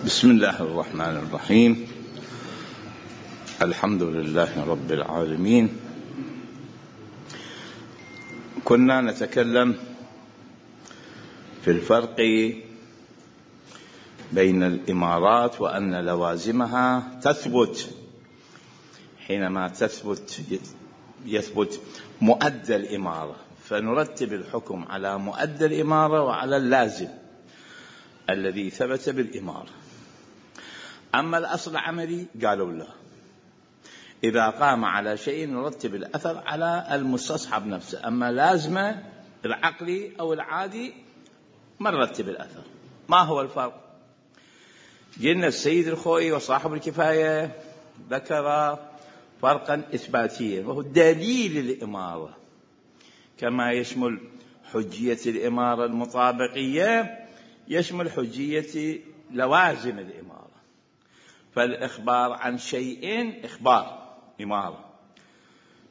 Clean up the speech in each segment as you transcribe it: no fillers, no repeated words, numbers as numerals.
بسم الله الرحمن الرحيم. الحمد لله رب العالمين. كنا نتكلم في الفرق بين الإمارات وأن لوازمها تثبت حينما يثبت مؤدى الإمارة، فنرتب الحكم على مؤدى الإمارة وعلى اللازم الذي ثبت بالإمارة. أما الأصل العملي قالوا لا، إذا قام على شيء نرتب الأثر على المستصحب نفسه، أما لازمة العقلي أو العادي ما نرتب الأثر. ما هو الفرق؟ قلنا السيد الخوئي وصاحب الكفاية ذكر فرقا إثباتيا، وهو دليل الإمارة، كما يشمل حجية الإمارة المطابقية يشمل حجية لوازم الإمارة. فالإخبار عن شيء إخبار إمارة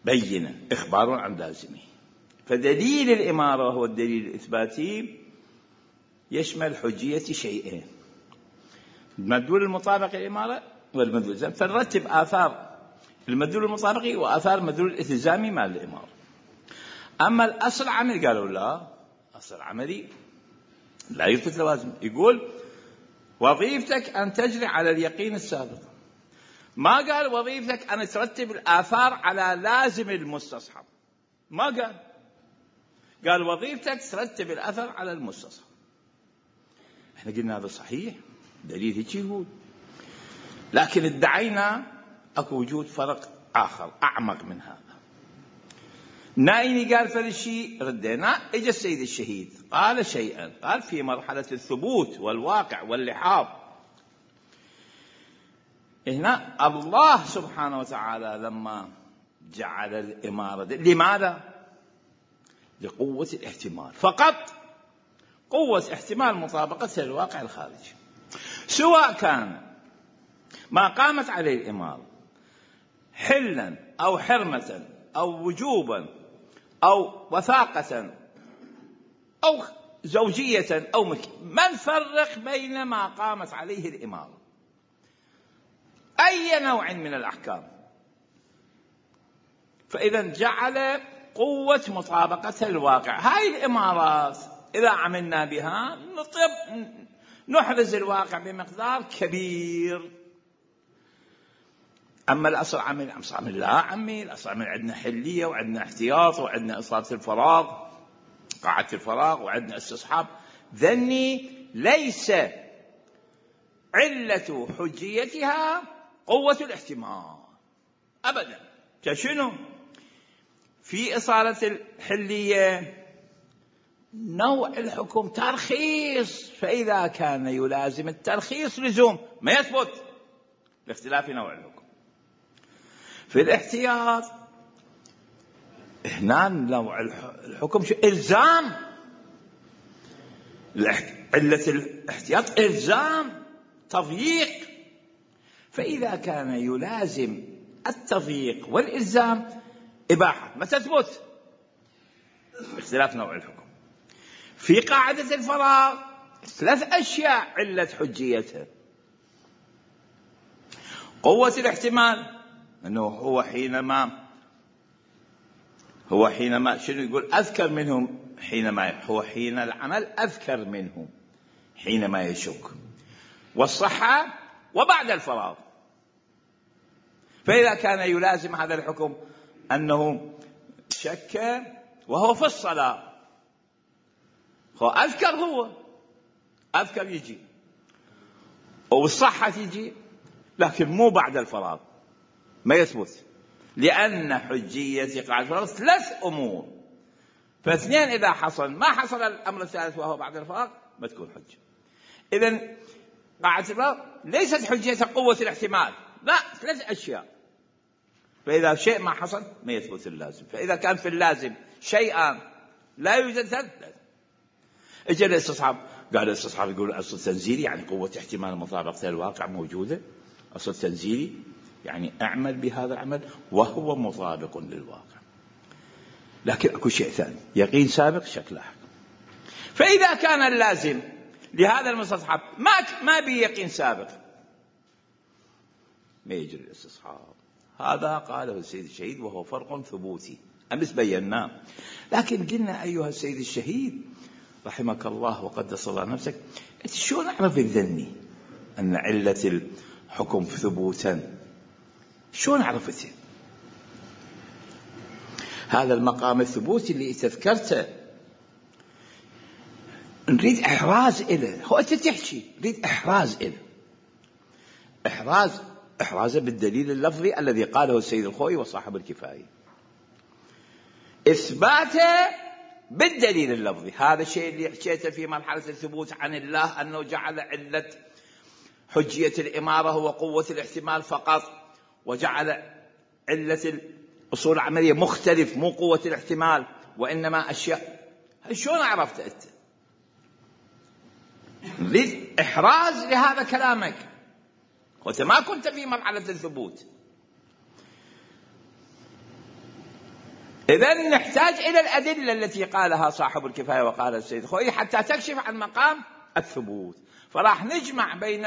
بينة، إخبار عن لازمه. فدليل الإمارة هو الدليل الإثباتي يشمل حجية شيئين: المدلول المطابق للإمارة والمدلول الإلزامي. فنرتب آثار المدلول المطابقي وآثار المدلول الإلزامي مع الإمارة. أما الأصل العملي قالوا لا، أصل العملي لا يثبت لوازم. يقول وظيفتك أن تجري على اليقين السابق، ما قال وظيفتك أن ترتب الآثار على لازم المستصحب، ما قال وظيفتك ترتب الأثر على المستصحب. احنا قلنا هذا صحيح، دليل هيك يقول، لكن ادعينا اكو وجود فرق آخر أعمق من هذا. نايني قال فلشي ردينا، اجى السيد الشهيد قال شيئا، قال في مرحلة الثبوت والواقع واللحاظ. هنا الله سبحانه وتعالى لما جعل الإمارة لماذا؟ لقوة الاحتمال فقط، قوة احتمال مطابقة الواقع الخارجي، سواء كان ما قامت عليه الإمارة حلا أو حرمة أو وجوبا أو وثاقة أو زوجية أو ما نفرق بين ما قامت عليه الإمارة أي نوع من الأحكام. فإذا جعل قوة مطابقة الواقع. هاي الإمارات إذا عملنا بها نحرز الواقع بمقدار كبير. أما الأصل عمل لا عمي، الأصل عمل عندنا حلية وعندنا احتياط وعندنا إصابة الفراغ، قاعدة الفراغ، وعندنا استصحاب. ذني ليس علة حجيتها قوة الاحتمال أبدا. كشنو؟ في إصالة الحلية نوع الحكم ترخيص، فإذا كان يلازم الترخيص لزوم ما يثبت لاختلاف نوع الحكم. في الاحتياط هنا نوع الحكم إلزام، علة الاحتياط إلزام تضييق، فإذا كان يلازم التضييق والإلزام إباحة ما تثبت باختلاف نوع الحكم. في قاعدة الفراغ 3 أشياء علة حجيتها: قوة الاحتمال، أنه هو حينما شنو يقول أذكر منهم، حينما هو حين العمل أذكر منهم حينما يشك، والصحة وبعد الفراغ. فإذا كان يلازم هذا الحكم أنه شك وهو في الصلاة، هو أذكر يجي، والصحة يجي، لكن مو بعد الفراغ ما يثبت، لأن حجية قاعدة الفراغ 3 أمور، فاثنين إذا حصل ما حصل الأمر الثالث وهو بعد الفراغ ما تكون حجة. إذن قاعدة الفراغ ليست حجية قوة الاحتمال، لا، 3 أشياء. فإذا شيء ما حصل ما يثبت اللازم. فإذا كان في اللازم شيئان لا يوجد ثالث، اجى الاستصحاب، قال الاستصحاب يقول أصل تنزيلي يعني قوة احتمال مطابقة الواقع موجودة، أصل تنزيلي يعني أعمل بهذا العمل وهو مطابق للواقع. لكن أكو شيء ثاني، يقين سابق شك لاحق. فإذا كان اللازم لهذا المستصحب ما به يقين سابق ما يجري الاستصحاب. هذا قاله السيد الشهيد وهو فرق ثبوتي أمس بيناه. لكن قلنا أيها السيد الشهيد رحمك الله وقدس الله نفسك، أنت شلون أعرف الذني أن علة الحكم ثبوتا؟ شلون عرفته؟ هذا المقام الثبوتي اللي تذكرته نريد إحراز إله. هو أنت تحكي نريد إحراز إله، إحرازه بالدليل اللفظي الذي قاله السيد الخوئي وصاحب الكفاية، إثباته بالدليل اللفظي. هذا الشيء اللي حكيته في مرحلة الثبوت عن الله، أنه جعل علة حجية الإمارة هو قوة الاحتمال فقط، وجعل علة الأصول العملية مختلف مو قوة الاحتمال وإنما أشياء. شلون عرفت أنت؟ نريد إحراز لهذا كلامك، وأنت ما كنت في مرحلة الثبوت. إذن نحتاج إلى الأدلة التي قالها صاحب الكفاية وقال السيد الخوئي حتى تكشف عن مقام الثبوت. فراح نجمع بين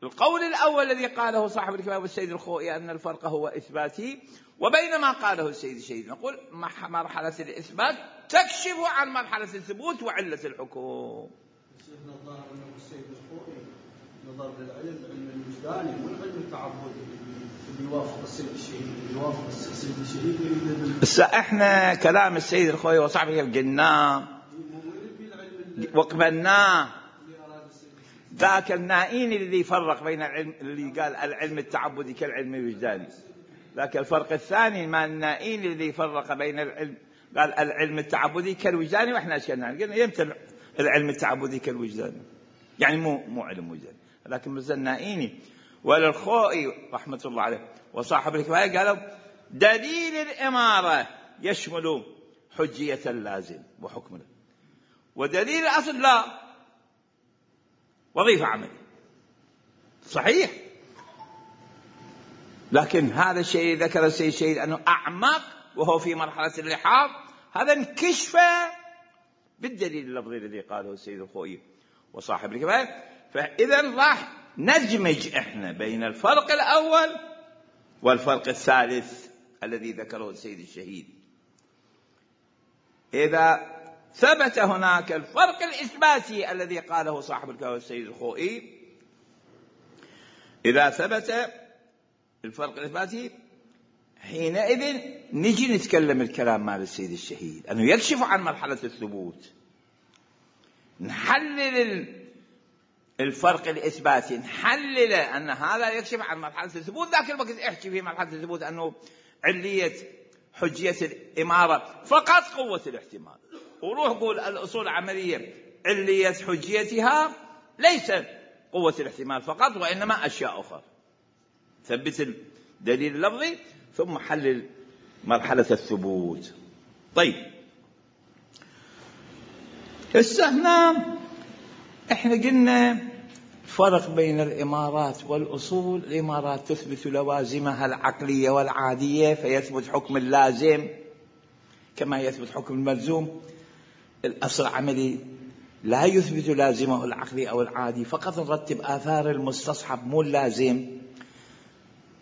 القول الأول الذي قاله صاحب الكفاية والسيد الخوئي أن الفرق هو إثباتي، وبين ما قاله السيد الشهيد. نقول مرحلة الإثبات تكشف عن مرحلة الثبوت وعلة الحكم. الظاهر أنه السيد الخوئي نظر للعلم الوجداني والعلم التعبدي اللي يوافق السيد الشهيد، اللي يوافق السيد الشهيد. هسه احنا كلام السيد الخوئي وصاحبه قلناه وقبلناه. ذاك النائين اللي فرق بين العلم، اللي قال العلم التعبدي كالعلم الوجداني. ذاك الفرق الثاني مع النائين اللي فرق بين العلم، قال العلم التعبدي كالوجداني، واحنا اشكلنا قلنا يمتى العلم التعبدي كالوجداني، يعني مو علم وجداني. لكن مثل النائيني والخوئي رحمة الله عليه وصاحب الكفاية قالوا دليل الإمارة يشمل حجية اللازم وحكمه، ودليل الأصل لا، وظيفة عمل صحيح. لكن هذا الشيء ذكر السيد الشهيد أنه أعمق وهو في مرحلة اللحاظ، هذا انكشف بالدليل اللفظي الذي قاله السيد الخوئي وصاحب الكفاية. فإذا راح نجمج احنا بين الفرق الأول والفرق الثالث الذي ذكره السيد الشهيد. إذا ثبت هناك الفرق الإثباتي الذي قاله صاحب الكفاية والسيد الخوئي، إذا ثبت الفرق الإثباتي حينئذ نجي نتكلم الكلام مال السيد الشهيد أنه يكشف عن مرحلة الثبوت. نحلل الفرق الإثباتي، نحلل أن هذا يكشف عن مرحلة الثبوت. ذاك الوقت احكي في مرحلة الثبوت أنه علية حجية الإمارة فقط قوة الاحتمال، وروح قول الأصول العملية علية حجيتها ليس قوة الاحتمال فقط وإنما أشياء أخرى. ثبت الدليل اللفظي ثم حلل مرحلة الثبوت. طيب هنا احنا قلنا فرق بين الإمارات والأصول. الإمارات تثبت لوازمها العقلية والعادية فيثبت حكم اللازم كما يثبت حكم الملزوم. الأصل العملي لا يثبت لازمه العقلي أو العادي، فقط نرتب آثار المستصحب مو اللازم.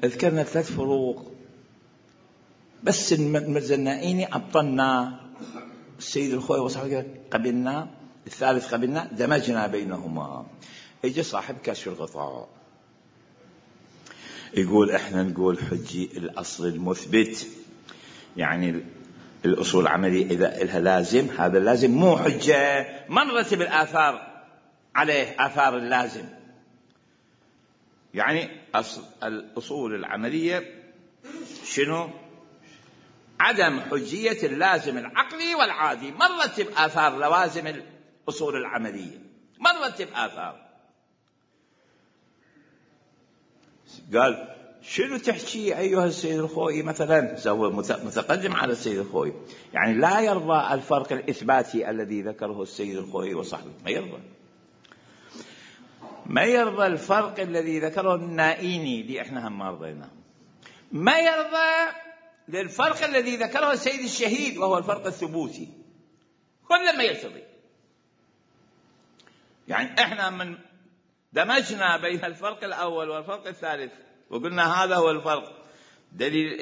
ذكرنا 3 فروق بس المزنائيني أبطلنا، السيد الخوئي وصاحبه قبلنا، الثالث قبلنا، دمجنا بينهما. يجي صاحب كشف الغطاء يقول احنا نقول حجي الأصل المثبت، يعني الأصول العملية إذا إلها لازم، هذا اللازم مو حجة، ما نرتب الآثار عليه آثار اللازم. يعني الأصول العملية شنو؟ عدم حجية اللازم العقلي والعادي. ما نرتب آثار لوازم الأصول العملية، ما نرتب آثار. قال شنو تحكي أيها السيد الخوئي مثلا؟ هو متقدم على السيد الخوئي، يعني لا يرضى الفرق الإثباتي الذي ذكره السيد الخوئي وصحبه، ما يرضى الفرق الذي ذكره النائيني اللي احنا هم ما رضيناه، ما يرضى للفرق الذي ذكره السيد الشهيد وهو الفرق الثبوتي، كل ما يرتضي. يعني احنا من دمجنا بين الفرق الأول والفرق الثالث وقلنا هذا هو الفرق. دليل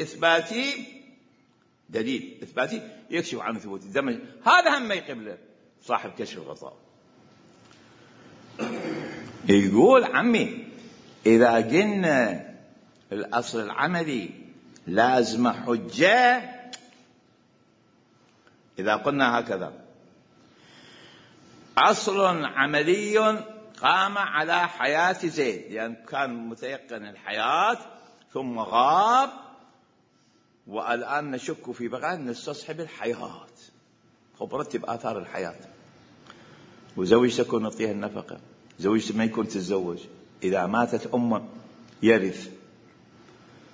إثباتي يكشف عن ثبوت الدمج. هذا هم ما يقبله صاحب كشف الغطاء. يقول عمي إذا قلنا الأصل العملي لازم حجة، إذا قلنا هكذا أصل عملي قام على حياة زيد، لأن كان متيقن الحياة ثم غاب، والآن نشك في بقاء نستصحب الحياة. خب رتب آثار الحياة. وزوجته تكون نعطيها النفقة، زوجته ما يكون تتزوج، إذا ماتت أمه يرث،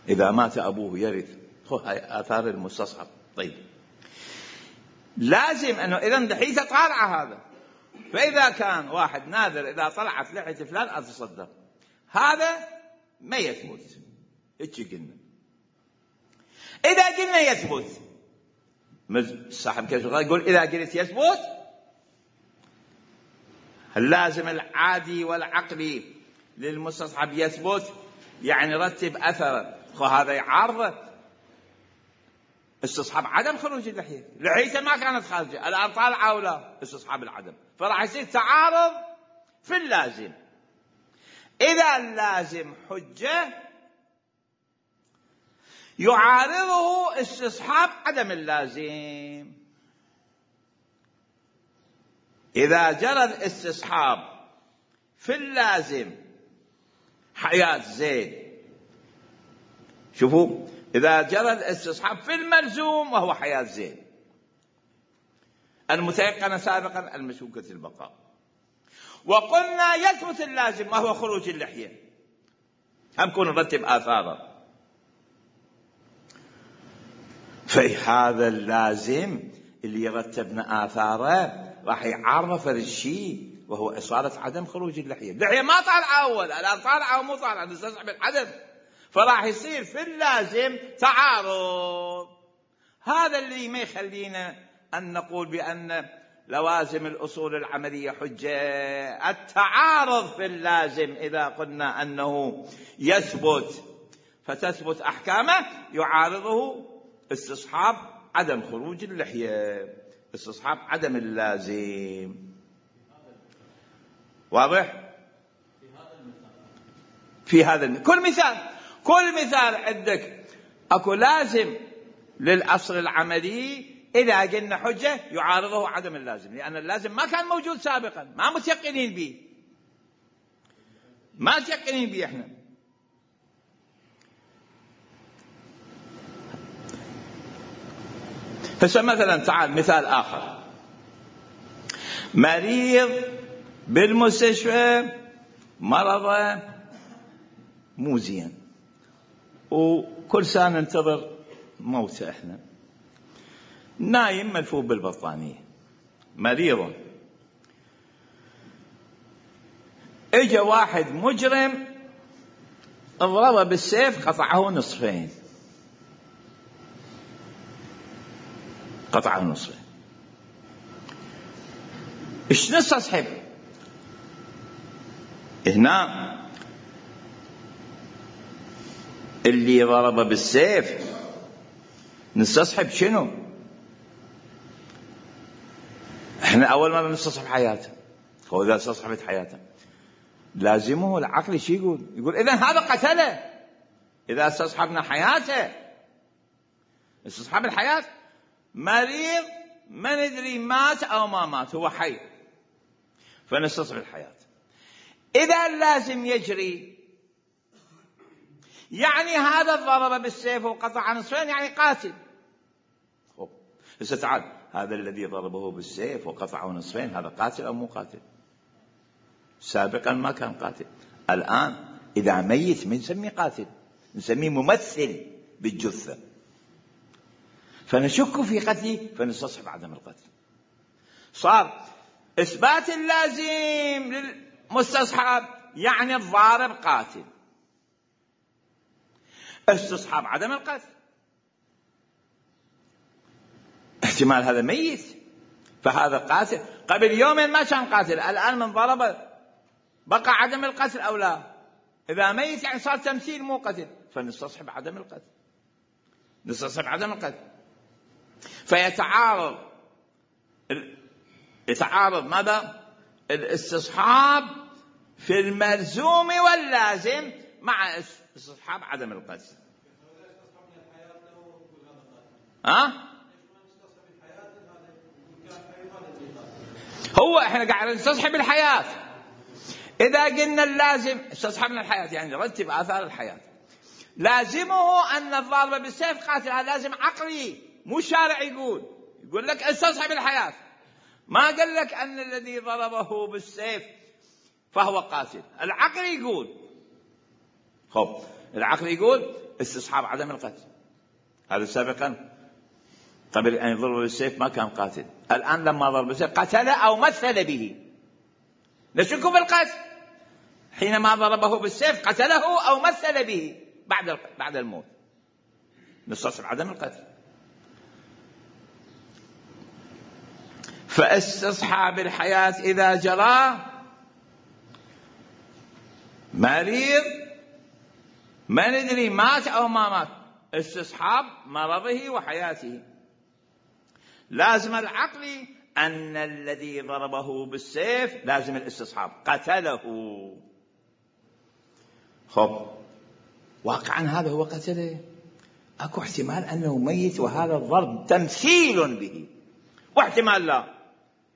إذا مات أبوه يرث. هاي آثار المستصحب. طيب لازم أنه إذن دحين تطالع هذا، فإذا كان واحد ناذر إذا طلعت لحية فلان أتصدق، هذا ما يثبت. إيش قلنا؟ إذا قلنا يثبت، صاحب كشف الغطاء يقول إذا قلت يثبت اللازم العادي والعقلي للمستصحب يثبت، يعني رتب أثر. هذا يعارض استصحاب عدم خروج اللحية. لحيته ما كانت خارجة، الآن طالعة أو لا، استصحاب العدم، فراح يصير تعارض في اللازم. إذا اللازم حجة يعارضه استصحاب عدم اللازم. إذا جرى الاستصحاب في اللازم حياة زيد، شوفوا، إذا جرى الاستصحاب في الملزوم وهو حياة زيد المتيقن سابقا المشكوكة البقاء، وقلنا يثبت اللازم وهو خروج اللحية، هم كون نرتب آثاره. فهذا اللازم اللي يرتبنا آثاره راح يعرف الشيء وهو إصالة عدم خروج اللحية. اللحية ما طالعة أول، الآن طالعة ومو طالعة، نستصحب العدم، فراح يصير في اللازم تعارض. هذا اللي ما يخلينا أن نقول بأن لوازم الأصول العملية حجة. التعارض في اللازم إذا قلنا أنه يثبت فتثبت أحكامه يعارضه استصحاب عدم خروج اللحية، استصحاب عدم اللازم. واضح؟ في هذا كل مثال عندك أكو لازم للأصل العملي، إذا قلنا حجة يعارضه عدم اللازم، لأن اللازم ما كان موجود سابقا، ما متيقنين به إحنا. مثلا تعال مثال آخر، مريض بالمستشفى مرض مو زين وكل سنة ننتظر موته، احنا نايم ملفوف بالبطانية، مريض. اجا واحد مجرم اضربه بالسيف قطعه نصفين، ايش نستصحب هنا؟ اللي ضربه بالسيف نستصحب شنو؟ احنا اول ما نستصحب حياته، واذا استصحبت حياته لازمه العقل شي يقول اذا هذا قتله. اذا استصحبنا حياته، استصحاب الحياة، مريض ما ندري مات او ما مات، هو حي، فنستصحب الحياة. اذا اللازم يجري يعني هذا ضرب بالسيف وقطع نصفين يعني قاتل. هسه تعال، هذا الذي ضربه بالسيف وقطعه نصفين هذا قاتل أو مو قاتل؟ سابقا ما كان قاتل، الآن إذا ميت ما نسميه قاتل، نسميه ممثل بالجثة، فنشك في قتله فنستصحب عدم القتل. صار إثبات اللازم للمستصحب يعني الضارب قاتل، استصحاب عدم القتل احتمال هذا ميت، فهذا قاتل. قبل يومين ما كان قاتل، الآن من ضرب بقى عدم القتل أو لا؟ إذا ميت يعني صار تمثيل مو قتل، فنستصحب عدم القتل، نستصحب عدم القتل. يتعارض ماذا؟ الاستصحاب في الملزوم واللازم مع استصحاب عدم القتل. هو احنا قاعد نستصحب الحياة. إذا قلنا اللازم استصحبنا الحياة يعني نرتب آثار الحياة، لازمه أن الضارب بالسيف قاتل، هذا لازم عقلي مو شارع. يقول لك استصحب الحياة، ما قال لك أن الذي ضربه بالسيف فهو قاتل. العقل يقول العقل يقول استصحاب عدم القتل. هذا سابقا قبل أن يضرب بالسيف ما كان قاتل، الآن لما ضرب بالسيف قتل أو مثل به، نشك في القتل. حينما ضربه بالسيف قتله أو مثل به بعد الموت، نستصحب عدم القتل. فاستصحاب الحياة إذا جرى مريض ما ندري مات أو ما مات، استصحاب مرضه وحياته. لازم العقل أن الذي ضربه بالسيف لازم الاستصحاب قتله. واقعا هذا هو قتله، أكو احتمال أنه ميت وهذا الضرب تمثيل به، واحتمال لا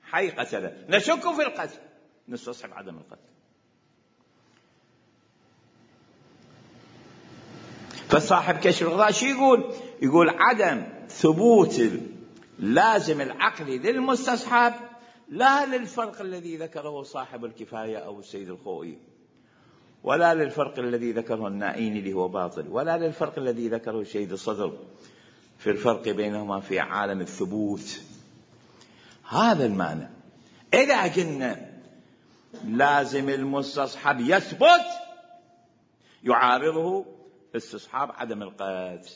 حي قتله، نشك في القتل، نستصحب عدم القتل. فصاحب كشف الغطاء شو يقول عدم ثبوت لازم العقلي للمستصحب لا للفرق الذي ذكره صاحب الكفاية أو السيد الخوئي، ولا للفرق الذي ذكره النائيني اللي هو باطل، ولا للفرق الذي ذكره السيد الصدر في الفرق بينهما في عالم الثبوت. هذا المعنى. إذا قلنا لازم المستصحب يثبت يعارضه استصحاب عدم القتل.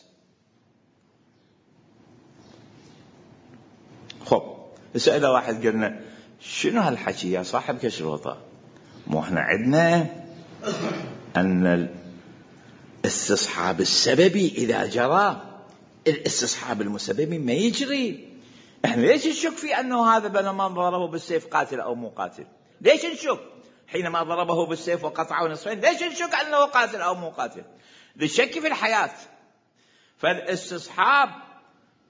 سأل واحد قلنا شنو هالحكي يا صاحب كشف الغطاء؟ مو احنا عندنا أن الاستصحاب السببي إذا جرى الاستصحاب المسببي ما يجري. احنا ليش نشك في أنه هذا بينما ضربه بالسيف قاتل أو مو قاتل؟ ليش نشك حينما ضربه بالسيف وقطعه نصفين؟ ليش نشك أنه قاتل أو مو قاتل؟ للشك في الحياة. فالاستصحاب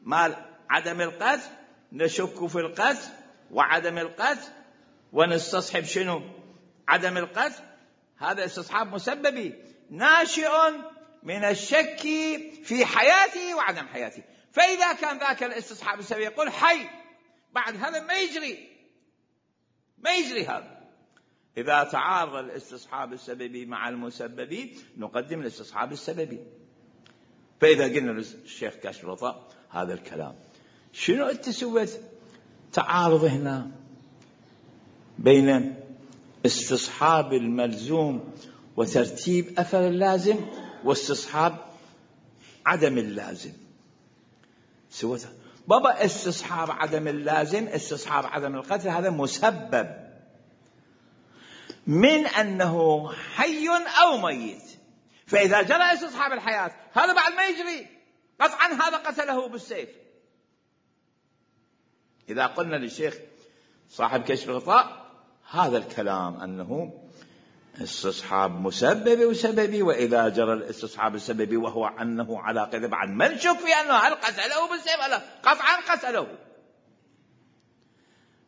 مال عدم القتل نشك في القتل وعدم القتل، ونستصحب شنو؟ عدم القتل. هذا استصحاب مسببي ناشئ من الشك في حياته وعدم حياته. فإذا كان ذاك الاستصحاب السببي يقول حي، بعد هذا ما يجري هذا. إذا تعارض الاستصحاب السببي مع المسببي نقدم الاستصحاب السببي. فإذا قلنا للشيخ كاشف الغطاء هذا الكلام، شنو أنت سويت تعارض هنا بين استصحاب الملزوم وترتيب أثر اللازم واستصحاب عدم اللازم؟ سويت بابا استصحاب عدم اللازم، استصحاب عدم القتل، هذا مسبب من أنه حي أو ميت. فإذا جرى استصحاب الحياة هذا بعد ما يجري قطعا، هذا قتله بالسيف. إذا قلنا للشيخ صاحب كشف الغطاء هذا الكلام أنه استصحاب مسببي وسببي، وإذا جرى الاستصحاب السببي وهو أنه على قذب بعد ما نشك في أنه هل قتله بالسيف ولا قطعا قتله.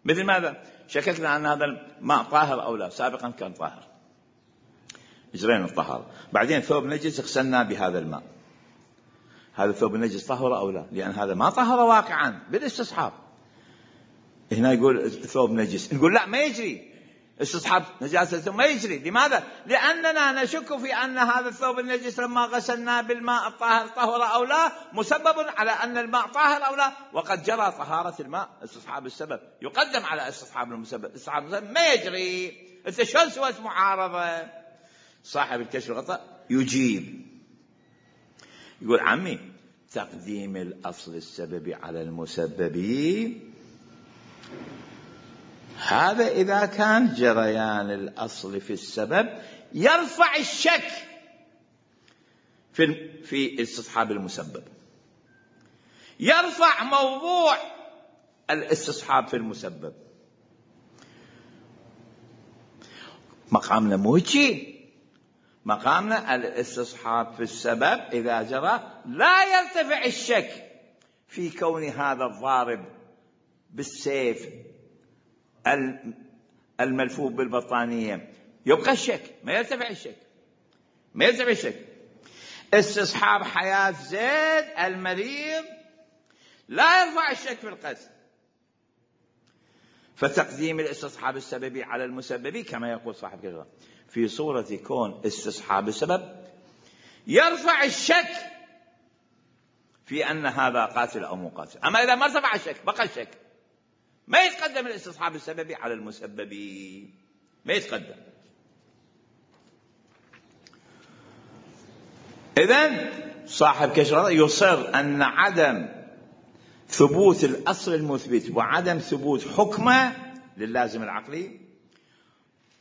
مثل ماذا؟ شككنا أن هذا الماء طاهر أو لا، سابقا كان طاهر، إجرينا الطهارة، بعدين ثوب نجس غسلنا بهذا الماء، هذا ثوب النجس طهر أو لا؟ لأن هذا ما طهر واقعا بالاستصحاب. هنا يقول الثوب نجس، نقول لا ما يجري استصحاب نجاسة، ما يجري. لماذا؟ لأننا نشك في أن هذا الثوب النجس لما غسلناه بالماء الطاهر طهر أو لا، مسبب على أن الماء طاهر أو لا، وقد جرى طهارة الماء. استصحاب السبب يقدم على استصحاب المسبب، استصحاب المسبب ما يجري. أنت شلون سويت معارضة؟ صاحب الكشف الغطاء يجيب يقول عمي تقديم الأصل السببي على المسبب هذا إذا كان جريان الأصل في السبب يرفع الشك في استصحاب المسبب، يرفع موضوع الاستصحاب في المسبب. مقامنا مو هيك، مقامنا الاستصحاب في السبب إذا جرى لا يرتفع الشك في كون هذا الضارب بالسيف الملفوف بالبطانية، يبقى الشك، ما يرتفع الشك، ما يرتفع الشك. استصحاب حياة زيد المريض لا يرفع الشك في القتل، فتقديم الاستصحاب السببي على المسببي كما يقول صاحب كشف في صورة كون استصحاب السبب يرفع الشك في أن هذا قاتل أو مو قاتل. أما إذا ما ارتفع الشك بقى الشك، ما يتقدم الاستصحاب السببي على المسببي، ما يتقدم. إذن صاحب كشف يصر أن عدم ثبوت الأصل المثبت وعدم ثبوت حكمه للازم العقلي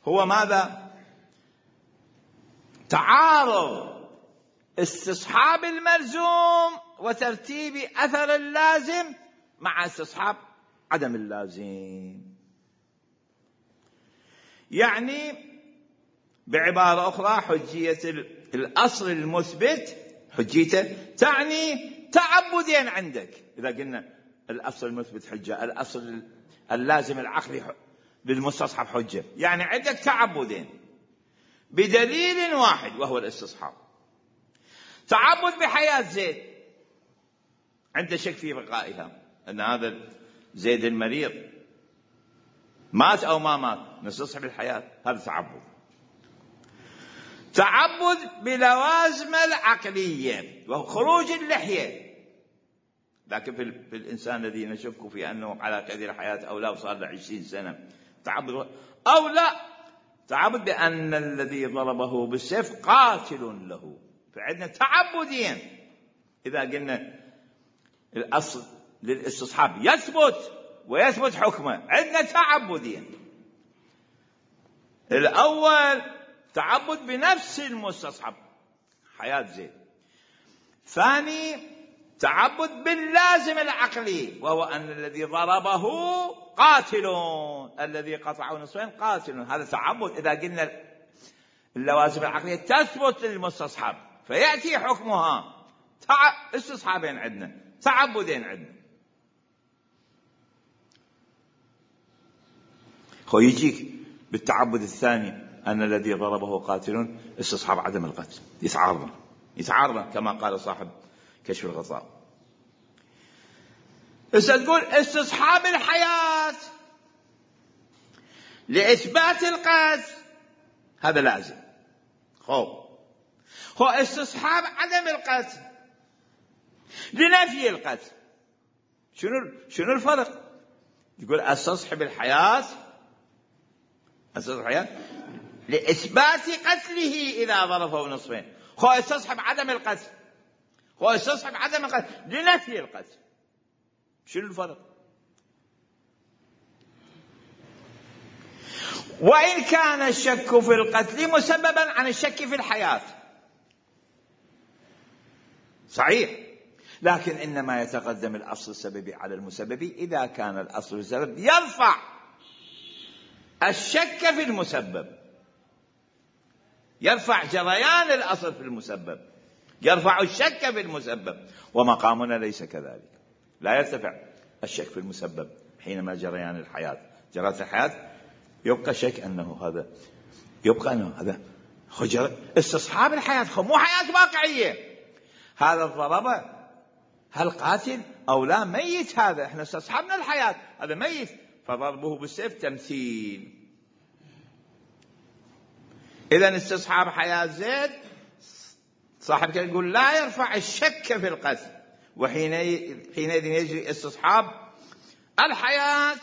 هو ماذا؟ تعارض استصحاب الملزوم وترتيب أثر اللازم مع استصحاب عدم اللازم. يعني بعبارة أخرى حجية الأصل المثبت حجيته تعني تعبدين عندك. إذا قلنا الأصل المثبت حجة، الأصل اللازم العقلي للمستصحب حجة، يعني عندك تعبدين بدليل واحد وهو الاستصحاب. تعبد بحياة زيد، عنده شك في بقائها، أن هذا زيد المريض مات أو ما مات، نستصحب الحياة، هذا تعبد. تعبد بلوازم العقلية وهو خروج اللحية، لكن في الإنسان الذي نشك في أنه على قيد الحياة أو لا وصار له 20 سنة تعبد، أو لا تعبد بأن الذي ضربه بالسيف قاتل له. فعندنا تعبدين. إذا قلنا الأصل للاستصحاب يثبت ويثبت حكمه، عندنا تعبدين. الأول تعبد بنفس المستصحب حياة زيد، ثاني تعبد باللازم العقلي وهو أن الذي ضربه قاتل، الذي قطعه نصفين قاتل. هذا تعبد. إذا قلنا اللوازم العقلية تثبت للمستصحب فيأتي حكمها، استصحابين عندنا، تعبدين عندنا. هو يجيك بالتعبد الثاني أن الذي ضربه قاتل استصحاب عدم القتل، يتعارض كما قال صاحب كشف الغطاء. بس تقول استصحاب الحياة لإثبات القتل هذا لازم، هو استصحاب عدم القتل لنفي القتل. شنو الفرق؟ يقول استصحب الحياة لإثبات قتله إذا ضربه نصفين، هو استصحب عدم القتل، هو استصحب عدم القتل لنفي القتل. شنو الفرق؟ وإن كان الشك في القتل مسببا عن الشك في الحياة صحيح، لكن إنما يتقدم الأصل السببي على المسببي إذا كان الأصل السبب يرفع الشك في المسبب، يرفع جريان الأصل في المسبب، يرفع الشك في المسبب. ومقامنا ليس كذلك، لا يرتفع الشك في المسبب حينما جريان الحياة جرت الحياة يبقى شك أنه هذا، يبقى أنه هذا استصحاب الحياة، مو حياة واقعية. هذا الضربة هل قاتل أو لا؟ ميت، هذا احنا استصحبنا الحياة، هذا ميت، فضربه بالسيف تمثيل. إذن استصحاب حياة زيد صاحب كده يقول لا يرفع الشك في القتل، وحينئذ يجري استصحاب الحياة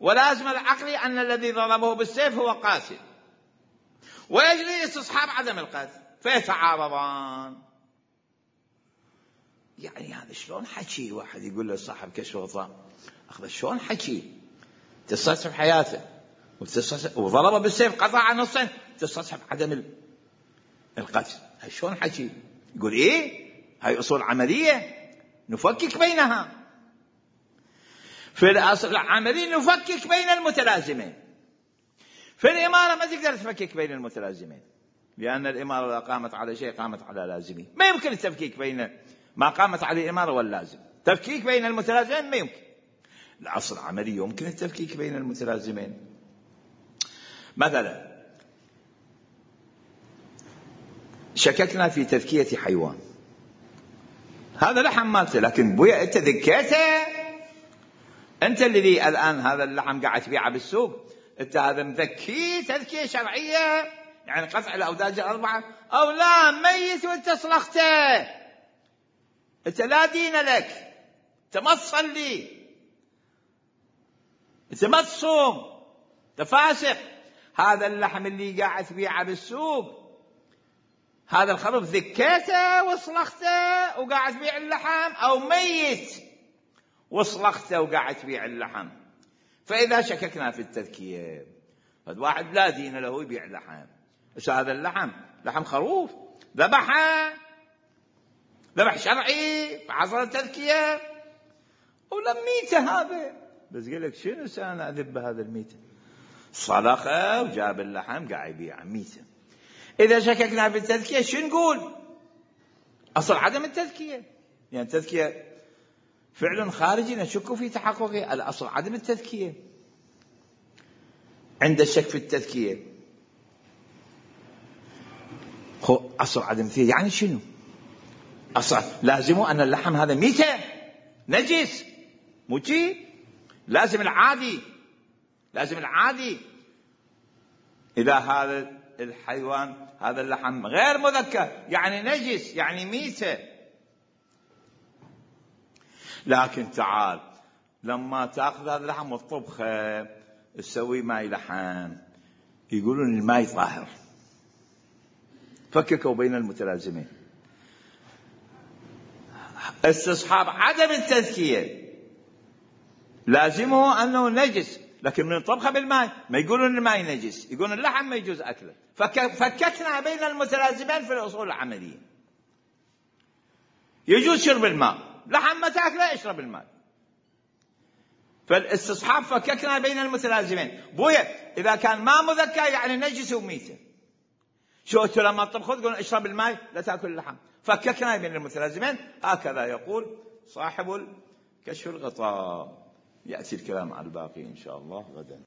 ولازم العقل أن الذي ضربه بالسيف هو قاتل، ويجري استصحاب عدم القتل، فيتعارضان. يعني هذا شلون حكي؟ واحد يقول له صاحب كشف الغطاء أخذ شلون حكي؟ تستصحب حياته وضربه بالسيف قطع نصين، تستصحب عدم القتل. هاي شلون حكي؟ يقول ايه هاي اصول عمليه نفكك بينها. في الاصل العملي نفكك بين المتلازمين. في الاماره ما تقدر تفكك بين المتلازمين، لان الاماره اذا قامت على شيء قامت على لازمه. ما يمكن التفكيك بين ما قامت عليه الاماره واللازم. تفكيك بين المتلازمين ما يمكن. الأصل العملي يمكن التفكيك بين المتلازمين. مثلا شككنا في تذكية حيوان، هذا لحم مالته، لكن بويا انت ذكيته، انت الذي الان هذا اللحم قاعد تبيعه بالسوق، انت هذا مذكيه تذكية شرعية، يعني قطع الأوداج الأربعة، أو لا ميت وانت صلخته، انت لا دين لك، انت ما تصلي، انت ما تصوم، انت فاسق. هذا اللحم اللي قاعد تبيعه بالسوق، هذا الخروف ذكيته وصلخته وقاعد تبيع اللحم، او ميت وصلخته وقاعد تبيع اللحم. فاذا شككنا في التذكيه، هذا واحد لا دين له يبيع لحم، بس هذا اللحم لحم خروف ذبح شرعي فحصل التذكيه، ولم ميته هذا، بس قال لك شنو سانا اذب هذا الميته، صلخه وجاب اللحم قاعد يبيع ميته. اذا شككنا في التذكيه شو نقول؟ اصل عدم التذكيه، يعني التذكيه فعل خارجي نشك في تحققه، الاصل عدم التذكيه. عند الشك في التذكيه هو اصل عدم التذكيه، يعني شنو؟ اصل لازمه ان اللحم هذا ميته نجس، مو شي لازم العادي إذا هذا الحيوان هذا اللحم غير مذكى يعني نجس يعني ميتة. لكن تعال لما تأخذ هذا اللحم والطبخة تسوي ماي لحم، يقولون الماي طاهر، فككوا بين المتلازمين. استصحاب عدم التذكية لازمه أنه نجس، لكن من طبخه بالماء ما يقولون الماء نجس، يقولون اللحم ما يجوز أكله. فككنا بين المتلازمين في الأصول العملية. يجوز شرب الماء، لحم ما تأكله اشرب الماء. فالاستصحاب فككنا بين المتلازمين. بويا إذا كان ما مذكى يعني نجس وميته، شو أنتوا لما تطبخوا تقولون اشرب الماء لا تأكل اللحم. فككنا بين المتلازمين. هكذا يقول صاحب كشف الغطاء. يأتي الكلام على الباقي إن شاء الله غدا.